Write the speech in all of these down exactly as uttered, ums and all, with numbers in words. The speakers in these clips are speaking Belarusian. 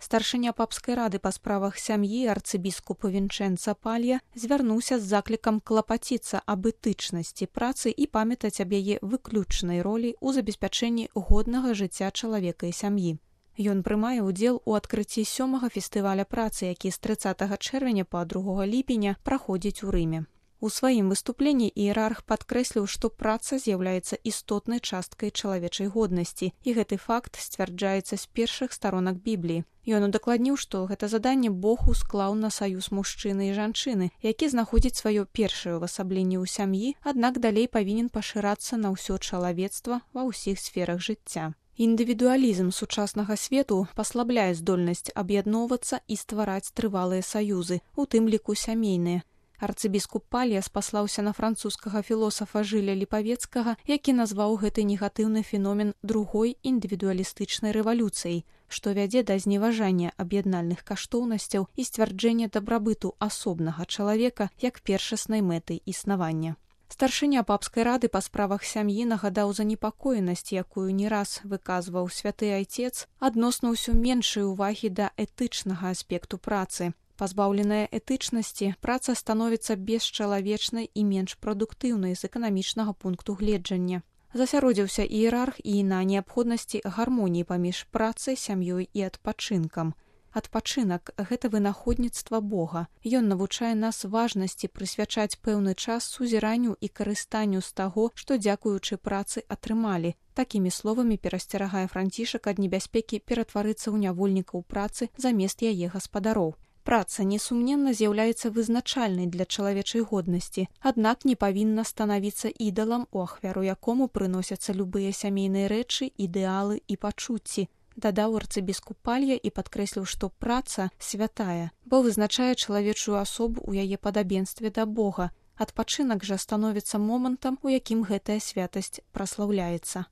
Старшыня папскай рады па справах сям'і арцыбіскуп Вінчэнца Палья звярнуўся з заклікам клапаціцца аб этычнасці працы і памятаць аб яе выключнай ролі ў забеспячэнні годнага жыцця чалавека і сям'і. Ён прымае ўдзел у адкрыцці сёмага фестываля працы, які з трыццатага чэрвеня па другога ліпеня праходзіць у Рыме. У сваім выступленні іерарх падкрэсліў, што праца з'яўляецца істотнай часткай чалавечай годнасці, і гэты факт сцвярджаецца з першых старонак Бібліі. Ён удакладніў, што гэта заданне Бог усклаў на саюз мужчыны і жанчыны, які знаходзіць сваё першае ўвасабленне ў сям'і, аднак далей павінен пашырацца на ўсё чалавецтва ва ўсіх сферах жыцця. Індывідуалізм сучаснага свету паслабляе здольнасць аб'ядноўвацца і ствараць трывалыя саюзы, у тым ліку сямейныя. Арцыбіскуп Палья спаслаўся на французскага філосафа Жыля Ліпавецкага, які назваў гэты негатыўны феномен другой індывідуалістычнай рэвалюцыяй, што вядзе да зневажання аб'яднальных каштоўнасцяў і сцвярджэння дабрабыту асобнага чалавека як першаснай мэты існавання. Старшыня папскай рады па справах сям'і нагадаў занепакоенасць, якую не раз выказваў святы айцец, адносна ўсё меншай увагі да этычнага аспекту працы. Пазбаўленая этычнасці, праца становіцца бесчалавечнай і менш прадуктыўнай з эканамічнага пункту гледжання. Засяродзіўся іерарх і на неабходнасці гармоніі паміж працай, сям'ёй і адпачынкам. Адпачынак – гэта вынаходніцтва Бога. Ён навучае нас важнасці прысвячаць пэўны час сузіранню і карыстанню з таго, што дзякуючы працы атрымалі. Такімі словамі перасцерагае Францішак ад небяспекі ператварыцца ў нявольнікаў працы замест яе гаспадароў. Праца, несумненна, з'яўляецца вызначальнай для чалавечай годнасці, аднак не павінна станавіцца ідалам, у ахвяру якому прыносяцца любыя сямейныя рэчы, ідэалы і пачуцці. Дадаў арцыбіскуп Палья і падкрэсліў, што праца святая, бо вызначае чалавечую асобу ў яе падабенстве да Бога. Адпачынак жа становіцца момантам, у якім гэтая святасць праслаўляецца.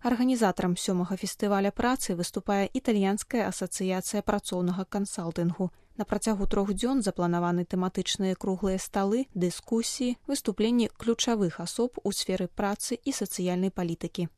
Арганізатарам сёмага фестываля працы выступае італьянская асацыяцыя працоўнага кансалтынгу. На працягу трох дзён запланаваны тэматычныя круглыя сталы, дыскусіі, выступленні ключавых асоб у сферы працы і сацыяльнай палітыкі.